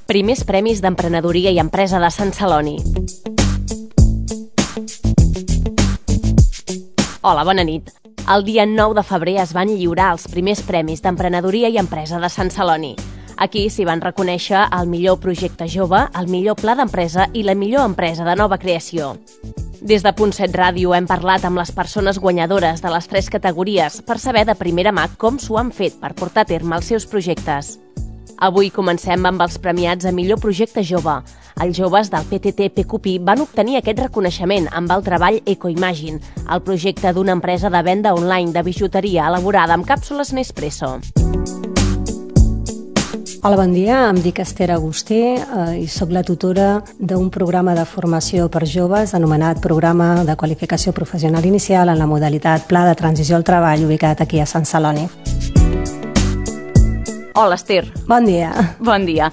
Primers Premis d'Emprenedoria i Empresa de Sant Celoni. Hola, bona nit. El dia 9 de febrer es van lliurar els primers Premis d'Emprenedoria i Empresa de Sant Celoni. Aquí s'hi van reconèixer el millor projecte jove, el millor pla d'empresa i la millor empresa de nova creació. Des de Punt 7 Ràdio hem parlat amb les persones guanyadores de les 3 categories per saber de primera mà com s'ho han fet per portar a terme els seus projectes. Avui comencem amb els premiats a millor projecte jove. Els joves del PTT PQPI van obtenir aquest reconeixement amb el treball EcoImagine, el projecte d'una empresa de venda online de bijuteria elaborada amb càpsules Nespresso. Hola, bon dia. Em dic Esther Agustí i soc la tutora d'un programa de formació per joves anomenat Programa de Qualificació Professional Inicial en la modalitat Pla de Transició al Treball ubicat aquí a Sant Celoni. Hola, Esther. Bon dia. Bon dia.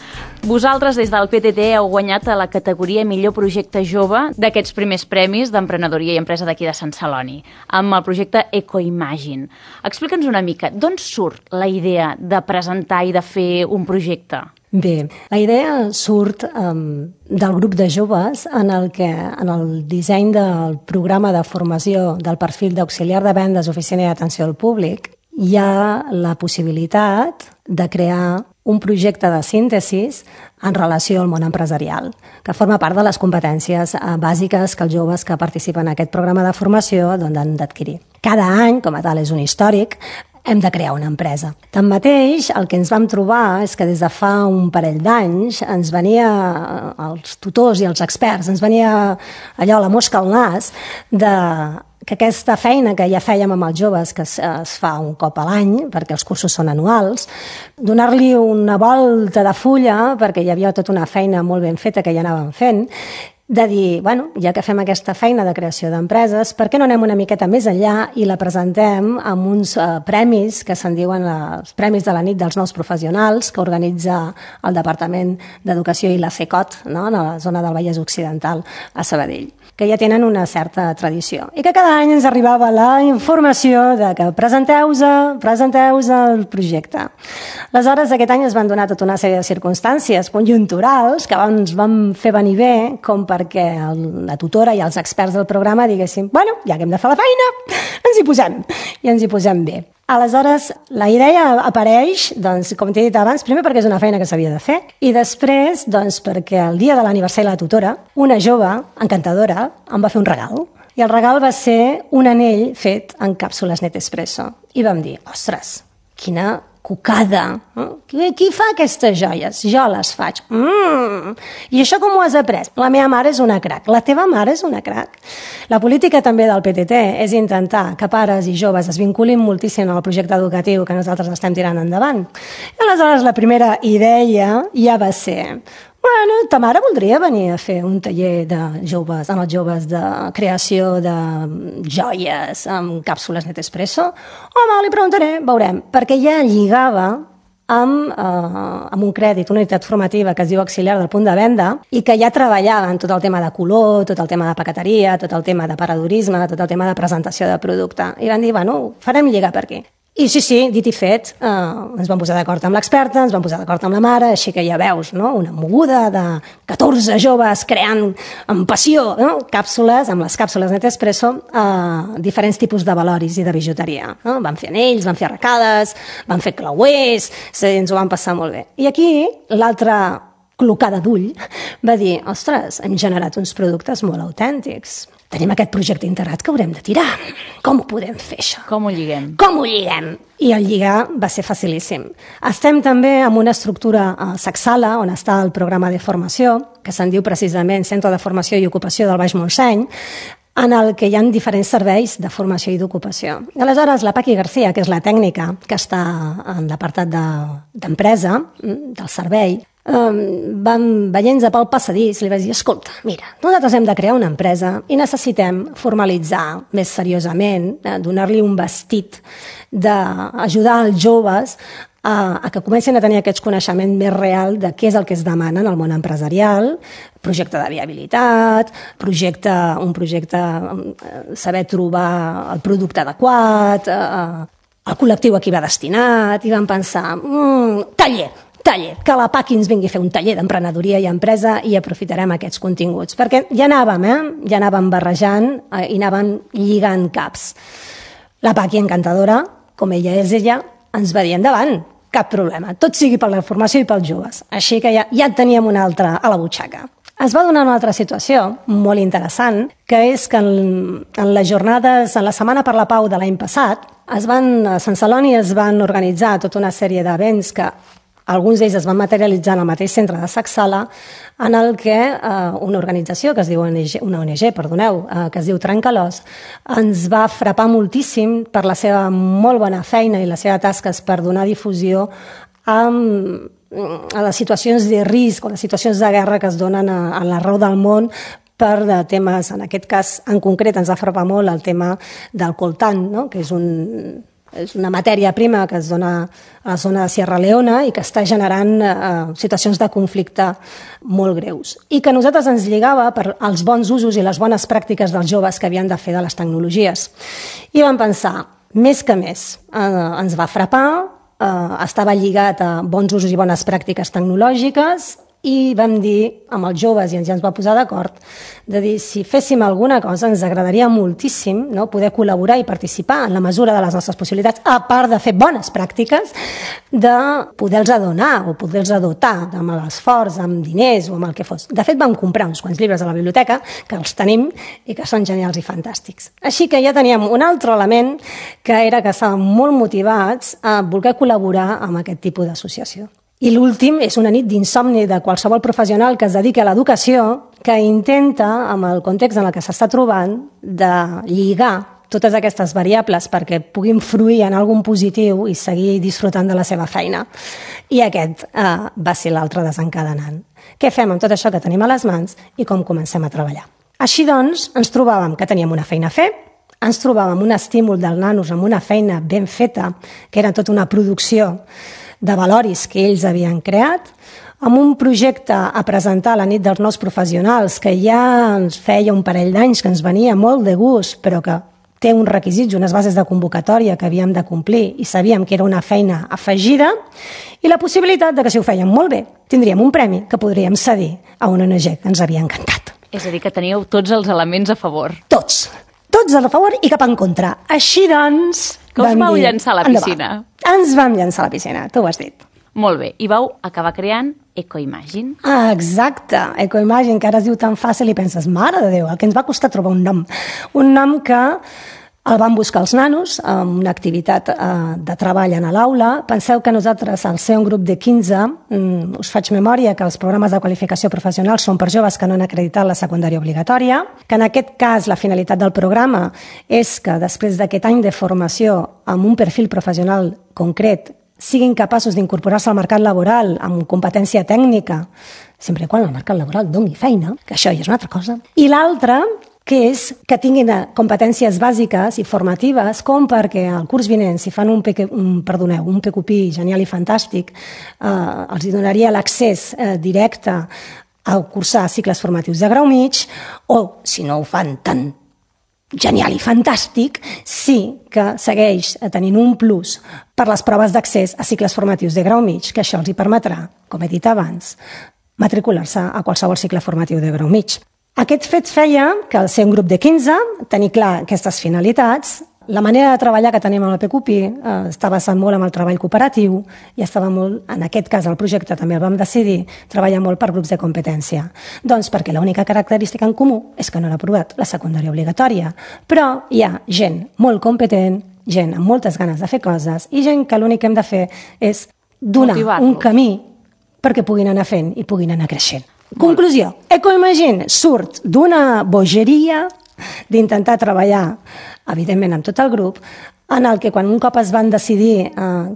Vosaltres, des del PTT, heu guanyat a la categoria Millor Projecte Jove d'aquests primers premis d'emprenedoria i empresa d'aquí de Sant Celoni, amb el projecte EcoImagine. Explica'ns una mica, d'on surt la idea de presentar i de fer un projecte? Bé, la idea surt del grup de joves en el disseny del programa de formació del perfil d'auxiliar de vendes, oficina i atenció al públic. Hi ha la possibilitat de crear un projecte de síntesis en relació al món empresarial, que forma part de les competències bàsiques que els joves que participen en aquest programa de formació han d'adquirir. Cada any, com a tal, és un històric, hem de crear una empresa. Tanmateix, el que ens vam trobar és que des de fa un parell d'anys ens venia, els tutors i els experts, ens venia allò, la mosca al nas, que aquesta feina que ja fèiem amb els joves, que es fa un cop a l'any, perquè els cursos són anuals, donar-li una volta de fulla, perquè hi havia tota una feina molt ben feta que ja anàvem fent, de dir, bueno, ja que fem aquesta feina de creació d'empreses, per què no anem una miqueta més enllà i la presentem amb uns premis que se'n diuen els Premis de la Nit dels Nous Professionals, que organitza el Departament d'Educació i la FECOT, no?, a la zona del Vallès Occidental, a Sabadell, que ja tenen una certa tradició. I que cada any ens arribava la informació de que presenteu-vos el projecte. Aleshores, aquest any es van donar tota una sèrie de circumstàncies conjunturals que ens van fer venir bé com perquè la tutora i els experts del programa diguéssim, bueno, ja que hem de fer la feina, ens hi posem. I ens hi posem bé. Aleshores, la idea apareix, doncs, com t'he dit abans, primer perquè és una feina que s'havia de fer i després, doncs, perquè el dia de l'aniversari de la tutora, una jove encantadora em va fer un regal. I el regal va ser un anell fet en càpsules Nespresso. I vam dir, ostres, quina cucada. Qui fa aquestes joies? Jo les faig. I això com ho has après? La meva mare és una crac. La teva mare és una crac. La política també del PTT és intentar que pares i joves es vinculin moltíssim al projecte educatiu que nosaltres estem tirant endavant. I aleshores la primera idea ja va ser, bueno, ta mare voldria venir a fer un taller de joves, amb els joves de creació de joies amb càpsules Nespresso? Home, li preguntaré, veurem, perquè ja lligava amb un crèdit, una unitat formativa que es diu auxiliar del punt de venda i que ja treballava en tot el tema de color, tot el tema de paqueteria, tot el tema de paradorisme, tot el tema de presentació de producte. I van dir, bueno, farem lligar per aquí. I sí, dit i fet, ens vam posar d'acord amb l'experta, ens vam posar d'acord amb la mare, així que ja veus, no?, una moguda de 14 joves creant amb passió, no?, càpsules, amb les càpsules Nespresso, diferents tipus de valoris i de bijuteria. No? Van fer anells, van fer arracades, van fer clauers, ens ho vam passar molt bé. I aquí l'altra clocada d'ull va dir, ostres, hem generat uns productes molt autèntics. Tenim aquest projecte integrat que haurem de tirar. Com ho podem fer, això? Com ho lliguem? Com ho lliguem? I el lligar va ser facilíssim. Estem també amb una estructura a Sacsala, on està el programa de formació, que se'n diu precisament Centre de Formació i Ocupació del Baix Montseny, en el que hi ha diferents serveis de formació i d'ocupació. Aleshores, la Paqui García, que és la tècnica que està en l'apartat d'empresa, del servei, veient-nos pel passadís, li vaig dir, escolta, mira, nosaltres hem de crear una empresa i necessitem formalitzar més seriosament, donar-li un vestit d'ajudar els joves a que comencin a tenir aquest coneixement més real de què és el que es demana en el món empresarial, projecte de viabilitat, un projecte, saber trobar el producte adequat, el col·lectiu a qui va destinat, i vam pensar, taller taller, que la PACI ens vingui a fer un taller d'emprenedoria i empresa i aprofitarem aquests continguts. Perquè ja anàvem barrejant i anàvem lligant caps. La PACI, encantadora, com ella és ella, ens va dir endavant, cap problema, tot sigui per la formació i pels joves. Així que ja teníem una altra a la butxaca. Es va donar una altra situació molt interessant, que és que en les jornades, en la Setmana per la Pau de l'any passat, a Sant Celoni es van organitzar tota una sèrie d'events que alguns d'ells es van materialitzar en el mateix centre de Sacsala, en el que una organització que es diu que es diu Trencalòs, ens va frapar moltíssim per la seva molt bona feina i les seves tasques per donar difusió a les situacions de risc o les situacions de guerra que es donen a l'arreu del món per temes, en aquest cas en concret ens va frapar molt el tema del coltan, no? Que és una matèria prima que es dona a la zona de Sierra Leona i que està generant situacions de conflicte molt greus. I que a nosaltres ens lligava per als bons usos i les bones pràctiques dels joves que havien de fer de les tecnologies. I vam pensar, més que més, ens va frapar, estava lligat a bons usos i bones pràctiques tecnològiques i vam dir amb els joves, i ja ens va posar d'acord, de dir, si féssim alguna cosa ens agradaria moltíssim, no, poder col·laborar i participar en la mesura de les nostres possibilitats, a part de fer bones pràctiques, de poder-los donar o poder-los dotar amb l'esforç, amb diners o amb el que fos. De fet, vam comprar uns quants llibres a la biblioteca, que els tenim i que són genials i fantàstics. Així que ja teníem un altre element, que era que estàvem molt motivats a voler col·laborar amb aquest tipus d'associació. I l'últim és una nit d'insomni de qualsevol professional que es dediqui a l'educació, que intenta, amb el context en el que s'està trobant, de lligar totes aquestes variables perquè puguin fruir en algun positiu i seguir disfrutant de la seva feina. I aquest va ser l'altre desencadenant. Què fem amb tot això que tenim a les mans i com comencem a treballar? Així doncs, ens trobàvem que teníem una feina a fer, ens trobàvem un estímul dels nanos amb una feina ben feta, que era tota una producció de valoris que ells havien creat, amb un projecte a presentar a la nit dels nous professionals que ja ens feia un parell d'anys, que ens venia molt de gust, però que té uns requisits, unes bases de convocatòria que havíem de complir i sabíem que era una feina afegida, i la possibilitat de que si ho fèiem molt bé tindríem un premi que podríem cedir a una ONG que ens havia encantat. És a dir, que teníeu tots els elements a favor. Tots a favor i cap en contra. Així doncs... Que us vau llançar a la piscina? Ens vam llançar a la piscina, tu ho has dit. Molt bé, i vau acabar creant Ecoimagine. Exacte, Ecoimagine, que ara es diu tan fàcil i penses, mare de Déu, el que ens va costar trobar un nom. Un nom que el van buscar els nanos amb una activitat de treball a l'aula. Penseu que nosaltres, al ser un grup de 15, us faig memòria que els programes de qualificació professional són per joves que no han acreditat la secundària obligatòria, que en aquest cas la finalitat del programa és que després d'aquest any de formació amb un perfil professional concret siguin capaços d'incorporar-se al mercat laboral amb competència tècnica, sempre quan el mercat laboral doni feina, que això ja és una altra cosa. I l'altra, que és que tinguin competències bàsiques i formatives com perquè el curs vinent, si fan un PQP genial i fantàstic, els donaria l'accés directe a cursar cicles formatius de grau mig, o si no ho fan tan genial i fantàstic, sí que segueix tenint un plus per les proves d'accés a cicles formatius de grau mig, que això els hi permetrà, com he dit abans, matricular-se a qualsevol cicle formatiu de grau mig. Aquest fet feia que, al ser un grup de 15, tenir clar aquestes finalitats, la manera de treballar que tenim amb el PQP està basat molt en el treball cooperatiu i estava molt, en aquest cas el projecte també el vam decidir, treballar molt per grups de competència. Doncs perquè l'única característica en comú és que no han aprovat la secundària obligatòria, però hi ha gent molt competent, gent amb moltes ganes de fer coses i gent que l'únic que hem de fer és donar un camí perquè puguin anar fent i puguin anar creixent. Conclusió, Ecoimagine surt d'una bogeria d'intentar treballar, evidentment, amb tot el grup, en el que quan un cop es van decidir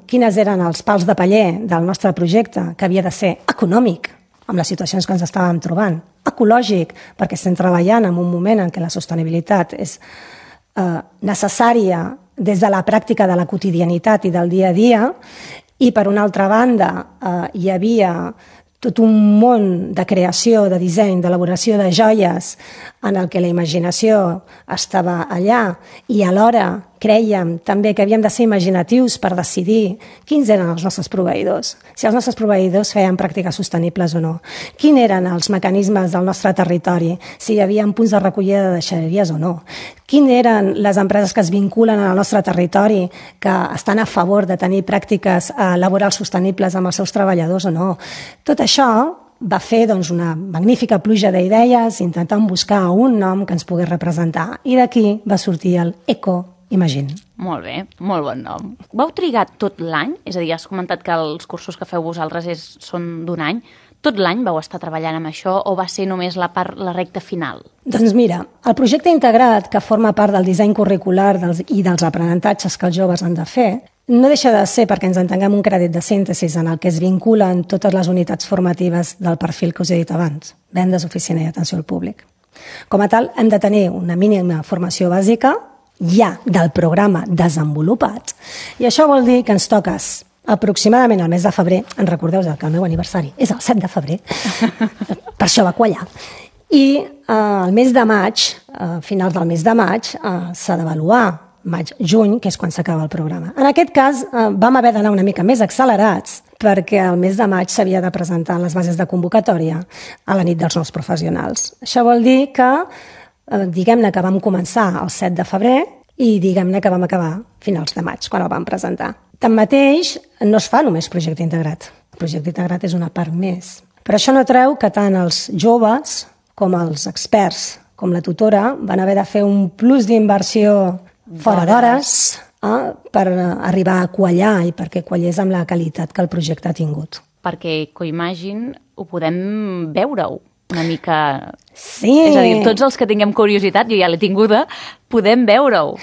quines eren els pals de paller del nostre projecte, que havia de ser econòmic, amb les situacions que ens estàvem trobant, ecològic, perquè estem treballant en un moment en què la sostenibilitat és necessària des de la pràctica de la quotidianitat i del dia a dia, i per una altra banda hi havia tot un món de creació, de disseny, d'elaboració de joies en el que la imaginació estava allà i alhora crèiem també que havíem de ser imaginatius per decidir quins eren els nostres proveïdors, si els nostres proveïdors feien pràctiques sostenibles o no, quins eren els mecanismes del nostre territori, si hi havia punts de recollida de deixalleries o no, quines eren les empreses que es vinculen al nostre territori, que estan a favor de tenir pràctiques laborals sostenibles amb els seus treballadors o no. Tot això va fer una magnífica pluja d'idees intentant buscar un nom que ens pogués representar. I d'aquí va sortir el Eco-Imagine. Molt bé, molt bon nom. Vau trigar tot l'any? És a dir, has comentat que els cursos que feu vosaltres són d'un any. Tot l'any vau estar treballant amb això o va ser només la recta final? Doncs mira, el projecte integrat, que forma part del disseny curricular i dels aprenentatges que els joves han de fer, no deixa de ser, perquè ens entenguem, un crèdit de síntesi en el que es vinculen totes les unitats formatives del perfil que us he dit abans, vendes, oficina i atenció al públic. Com a tal, hem de tenir una mínima formació bàsica ja del programa desenvolupat, i això vol dir que ens toques aproximadament al mes de febrer. En recordeu que el meu aniversari és el 7 de febrer, per això va quallar. I el mes de maig, a finals del mes de maig, s'ha d'avaluar maig-juny, que és quan s'acaba el programa. En aquest cas, vam haver d'anar una mica més accelerats perquè el mes de maig s'havia de presentar les bases de convocatòria a la nit dels nous professionals. Això vol dir que, diguem-ne que vam començar el 7 de febrer i diguem-ne que vam acabar finals de maig, quan el vam presentar. Tanmateix, no es fa només projecte integrat. El projecte integrat és una part més. Però això no treu que tant els joves com els experts, com la tutora, van haver de fer un plus d'inversió fora d'hores per arribar a quallar i perquè quallés amb la qualitat que el projecte ha tingut. Perquè Eco-Imagine ho podem veure-ho una mica... Sí. És a dir, tots els que tinguem curiositat, jo ja l'he tinguda, podem veure-ho.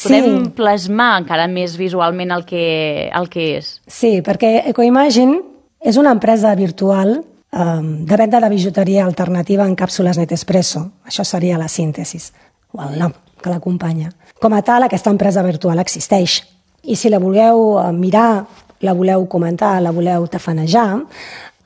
Podem plasmar encara més visualment el que és. Sí, perquè Eco-Imagine és una empresa virtual de venda de bijuteria alternativa en càpsules Nespresso. Això seria la síntesi, o el nom que l'acompanya. Com a tal, aquesta empresa virtual existeix. I si la voleu mirar, la voleu comentar, la voleu tafanejar,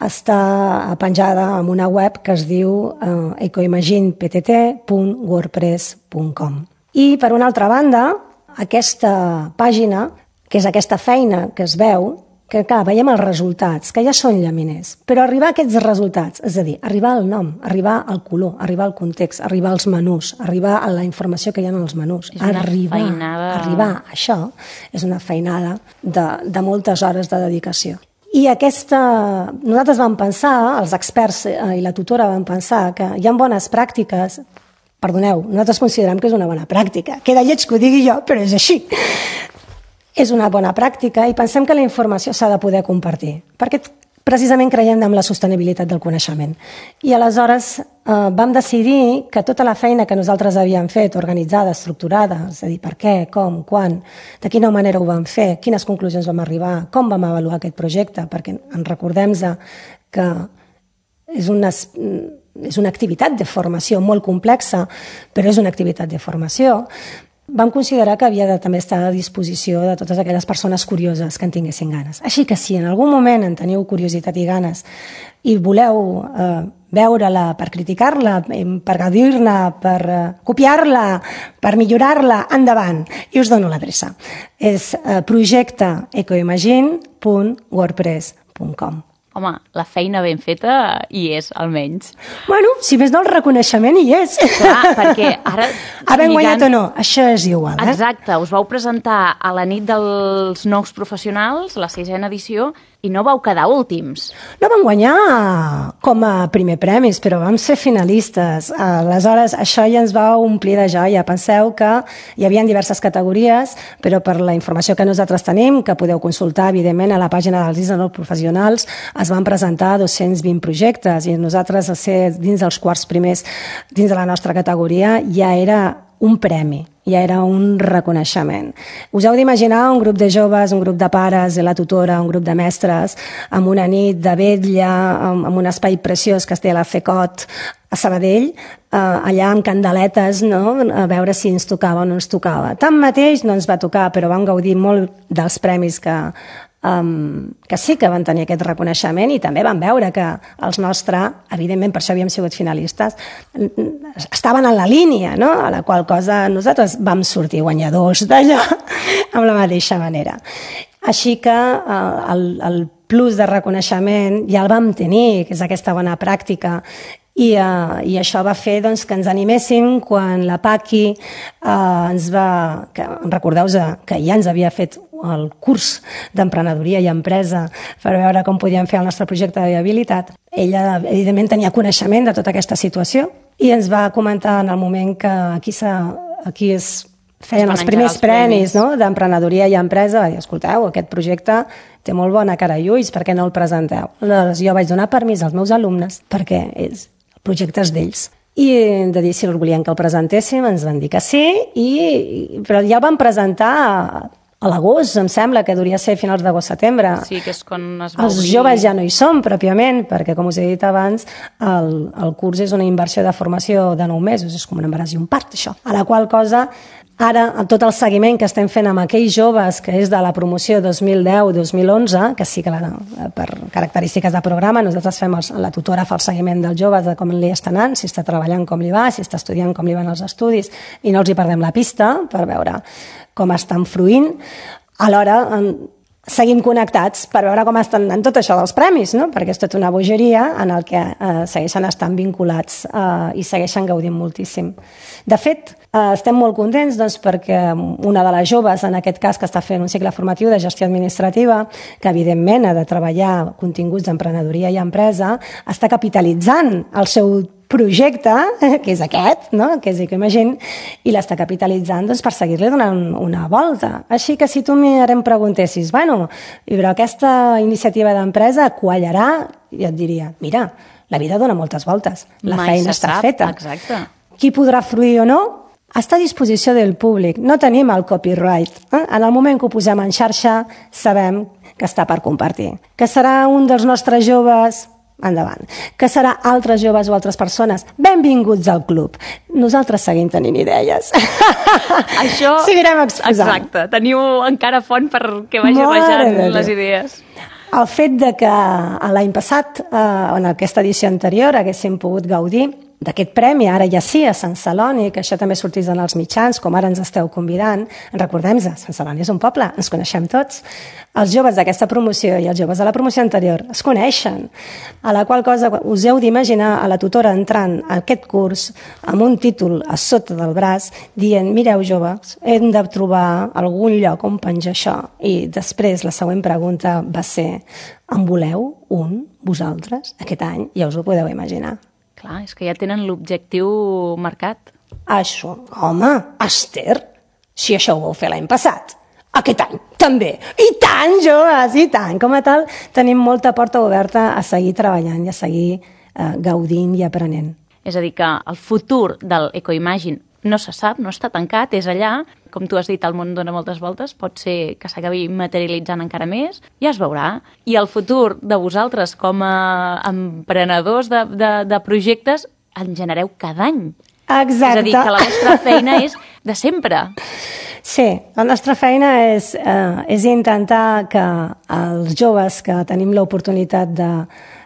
està penjada en una web que es diu ecoimagineptt.wordpress.com. I, per una altra banda, aquesta pàgina, que és aquesta feina que es veu, que clar, veiem els resultats, que ja són llaminers, però arribar a aquests resultats, és a dir, arribar al nom, arribar al color, arribar al context, arribar als menús, arribar a la informació que hi ha en els menús, arribar a això, és una feinada de moltes hores de dedicació. I nosaltres vam pensar, els experts i la tutora vam pensar que hi ha bones pràctiques. Perdoneu, nosaltres considerem que és una bona pràctica. Queda lleig que ho digui jo, però és així. És una bona pràctica i pensem que la informació s'ha de poder compartir, perquè precisament creiem en la sostenibilitat del coneixement. I aleshores vam decidir que tota la feina que nosaltres havíem fet, organitzada, estructurada, és a dir, per què, com, quan, de quina manera ho vam fer, quines conclusions vam arribar, com vam avaluar aquest projecte, perquè en recordem que és una activitat de formació molt complexa, però és una activitat de formació. Vam considerar que havia de també estar a disposició de totes aquelles persones curioses que en tinguessin ganes. Així que si en algun moment en teniu curiositat i ganes i voleu veure-la per criticar-la, per gaudir-ne, per copiar-la, per millorar-la, endavant. I us dono l'adreça. És projecteecoimagine.wordpress.com. Home, la feina ben feta hi és, almenys. Bueno, si més no el reconeixement hi és. Clar, perquè ara... Havent guanyat o no, això és igual. Exacte, us vau presentar a la nit dels nous professionals, la 6ª edició, i no vau quedar últims. No vam guanyar com a primer premis, però vam ser finalistes. Aleshores, això ja ens va omplir de joia. Penseu que hi havia diverses categories, però per la informació que nosaltres tenim, que podeu consultar, evidentment, a la pàgina dels nous professionals, es van presentar 220 projectes i nosaltres, a ser dins dels quarts primers dins de la nostra categoria, ja era un premi, ja era un reconeixement. Us heu d'imaginar un grup de joves, un grup de pares, la tutora, un grup de mestres, amb una nit de vetlla, amb un espai preciós que es té a la FECOT, a Sabadell, allà amb candeletes, no? A veure si ens tocava o no ens tocava. Tanmateix no ens va tocar, però vam gaudir molt dels premis que que sí que van tenir aquest reconeixement i també van veure que els nostres, evidentment per això havíem sigut finalistes, estaven en la línia, no? A la qual cosa nosaltres vam sortir guanyadors d'allò amb la mateixa manera. Així que el plus de reconeixement ja el vam tenir, que és aquesta bona pràctica, i això va fer doncs, que ens animéssim quan la Paqui ens va... Recordeu-vos que ja ens havia fet el curs d'emprenedoria i empresa per veure com podíem fer el nostre projecte de viabilitat. Ella, evidentment, tenia coneixement de tota aquesta situació i ens va comentar en el moment que aquí feien els primers premis, no? D'emprenedoria i empresa, va dir, escolteu, aquest projecte té molt bona cara i ulls, per què no el presenteu? Aleshores, jo vaig donar permís als meus alumnes perquè el projecte és d'ells. I hem de dir si el volien que el presentéssim, ens van dir que sí, però ja el vam presentar a l'agost, em sembla, que hauria ser a finals d'agost-setembre. Sí, que és quan es va obrir. Els joves ja no hi som, pròpiament, perquè, com us he dit abans, el curs és una inversió de formació de 9 mesos, és com un embaràs i un part, això. A la qual cosa, ara, tot el seguiment que estem fent amb aquells joves, que és de la promoció 2010-2011, que sí que per característiques de programa, nosaltres la tutora fa el seguiment dels joves de com li està anant, si està treballant com li va, si està estudiant com li van els estudis, i no els hi perdem la pista per veure com estan fruint. Alhora, seguim connectats per veure com estan en tot això dels premis, no? Perquè és tota una bogeria en el que segueixen estant vinculats i segueixen gaudint moltíssim. De fet, estem molt contents doncs, perquè una de les joves, en aquest cas, que està fent un cicle formatiu de gestió administrativa, que evidentment ha de treballar continguts d'emprenedoria i empresa, està capitalitzant el seu projecte, que és aquest, no? Que és Ecoimagine, i l'està capitalitzant doncs, per seguir-li donant una volta. Així que si tu ara em preguntessis, bueno, però aquesta iniciativa d'empresa quallarà, jo et diria, mira, la vida dona moltes voltes, la feina està feta. Exacte. Qui podrà fruir o no? Està a disposició del públic. No tenim el copyright. En el moment que ho posem en xarxa, sabem que està per compartir. Que serà un dels nostres joves... endavant. Que serà altres joves o altres persones? Benvinguts al club. Nosaltres seguim tenint idees. Això... Seguirem exposant. Exacte. Teniu encara font perquè vagi rejant les idees. El fet de que l'any passat, en aquesta edició anterior, haguéssim pogut gaudir d'aquest premi, ara ja sí, a Sant Celoni, que això també sortís en els mitjans, com ara ens esteu convidant. Recordem-nos, Sant Celoni és un poble, ens coneixem tots. Els joves d'aquesta promoció i els joves de la promoció anterior es coneixen, a la qual cosa us heu d'imaginar a la tutora entrant a aquest curs amb un títol a sota del braç dient, mireu joves, hem de trobar algun lloc on penjar això. I després la següent pregunta va ser, en voleu un, vosaltres, aquest any? Ja us ho podeu imaginar. Clar, és que ja tenen l'objectiu marcat. Això, home, Esther, si això ho vau fer l'any passat, aquest any també. I tant, joves, i tant. Com a tal, tenim molta porta oberta a seguir treballant i a seguir gaudint i aprenent. És a dir, que el futur del Ecoimagine no se sap, no està tancat, és allà. Com tu has dit, el món dona moltes voltes, pot ser que s'acabi materialitzant encara més, ja es veurà. I el futur de vosaltres com a emprenedors de projectes en genereu cada any. Exacte. És a dir, que la vostra feina és de sempre. Sí, la nostra feina és intentar que els joves que tenim l'oportunitat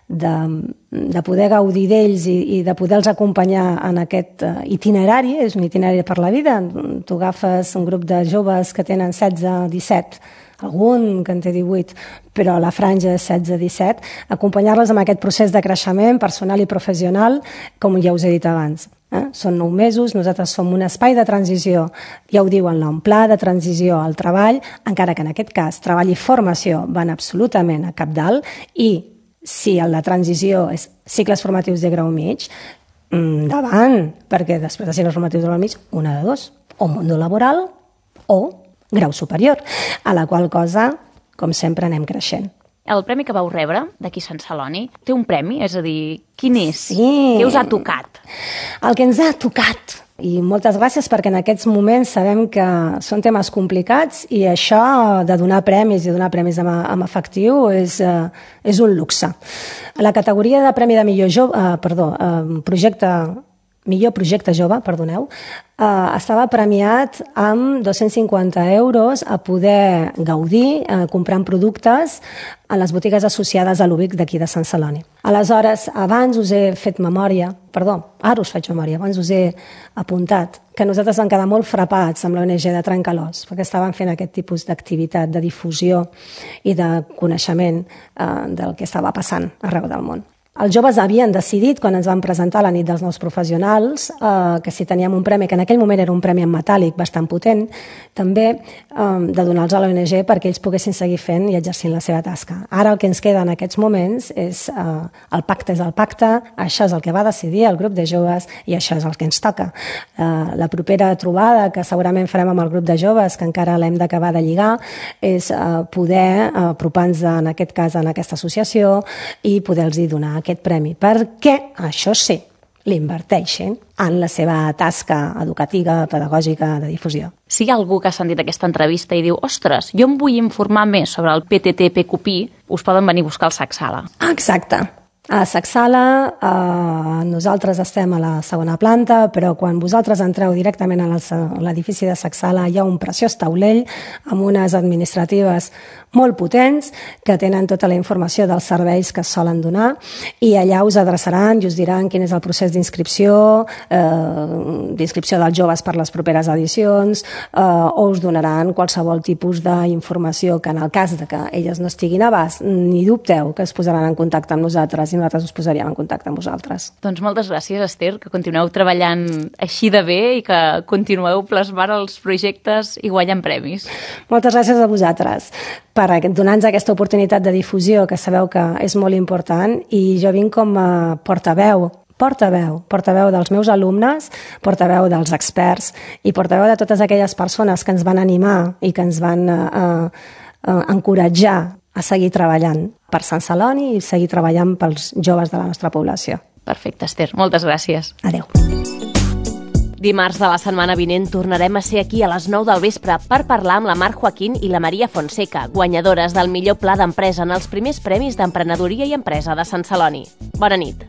de poder gaudir d'ells i de poder-los acompanyar en aquest itinerari, és un itinerari per la vida. Tu agafes un grup de joves que tenen 16, 17, algun que en té 18, però la franja és 16-17, acompanyar-les en aquest procés de creixement personal i professional, com ja us he dit abans. Són 9 mesos, nosaltres som un espai de transició, ja ho diu el nom, pla de transició al treball, encara que en aquest cas treball i formació van absolutament a capdalt, i si la transició és cicles formatius de grau mig, endavant, perquè després de cicles formatius de grau mig, una de dos, o món laboral o grau superior, a la qual cosa, com sempre, anem creixent. El premi que vau rebre d'aquí Sant Celoni té un premi? És a dir, quin és? Sí. Què us ha tocat? El que ens ha tocat. I moltes gràcies perquè en aquests moments sabem que són temes complicats i això de donar premis i donar premis en efectiu és un luxe. La categoria de premi de millor projecte millor projecte jove, perdoneu, estava premiat amb 250 euros a poder gaudir comprant productes a les botigues associades a l'UBIC d'aquí de Sant Celoni. Aleshores, abans us he fet memòria, ara us faig memòria, abans us he apuntat que nosaltres vam quedar molt frapats amb l'ONG de Trencalòs, perquè estaven fent aquest tipus d'activitat de difusió i de coneixement del que estava passant arreu del món. Els joves havien decidit, quan ens van presentar la nit dels nous professionals, que si teníem un premi, que en aquell moment era un premi en metàl·lic bastant potent, també de donar-los a l'ONG perquè ells poguessin seguir fent i exercint la seva tasca. Ara el que ens queda en aquests moments és el pacte és el pacte, això és el que va decidir el grup de joves i això és el que ens toca. La propera trobada que segurament farem amb el grup de joves, que encara l'hem d'acabar de lligar, és poder apropar-nos en aquest cas en aquesta associació i poder-los donar aquest premi, perquè, això sí, l'inverteixen en la seva tasca educativa, pedagògica, de difusió. Si hi ha algú que ha sentit aquesta entrevista i diu ostres, jo em vull informar més sobre el PTT-PQPI, us poden venir a buscar al Sacsala. Exacte. A Sacsala nosaltres estem a la segona planta, però quan vosaltres entreu directament a l'edifici de Sacsala hi ha un preciós taulell amb unes administratives molt potents que tenen tota la informació dels serveis que es solen donar i allà us adreçaran i us diran quin és el procés d'inscripció dels joves per les properes edicions o us donaran qualsevol tipus d'informació que en el cas de que elles no estiguin a abast, ni dubteu que es posaran en contacte amb nosaltres i nosaltres us posaríem en contacte amb vosaltres. Doncs moltes gràcies, Esther, que continueu treballant així de bé i que continueu plasmant els projectes i guanyant premis. Moltes gràcies a vosaltres per donar-nos aquesta oportunitat de difusió, que sabeu que és molt important, i jo vinc com a portaveu dels meus alumnes, portaveu dels experts i portaveu de totes aquelles persones que ens van animar i que ens van encoratjar a seguir treballant per Sant Celoni i seguir treballant pels joves de la nostra població. Perfecte, Esther. Moltes gràcies. Adéu. Dimarts de la setmana vinent tornarem a ser aquí a les 9 del vespre per parlar amb la Mar Joaquín i la Maria Fonseca, guanyadores del millor pla d'empresa en els primers premis d'emprenedoria i empresa de Sant Celoni. Bona nit.